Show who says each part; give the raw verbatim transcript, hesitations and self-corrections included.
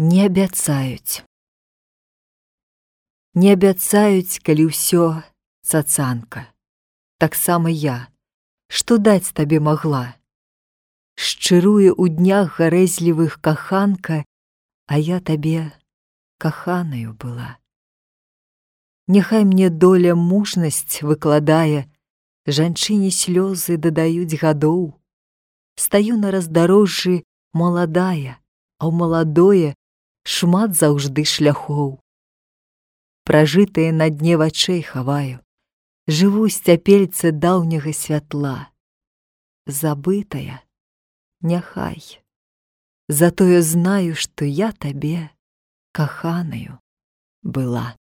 Speaker 1: Не абяцаюць. Не абяцаюць, калі ўсё цацанка. Таксама я, што даць табе магла. Шчыруе ў днях гарэзлівых каханка, а я табе каханаю была. Няхай мне доля мужнасць выкладае, жанчыне слёзы дадаюць гадоў. Стаю на раздарожжы маладая, а ў маладое шмат заўжды шляхоў. Пражытае на дне вачэй хаваю, жыву сцяпельцы даўняга святла. Забытая, няхай, затое знаю, што я табе каханаю была.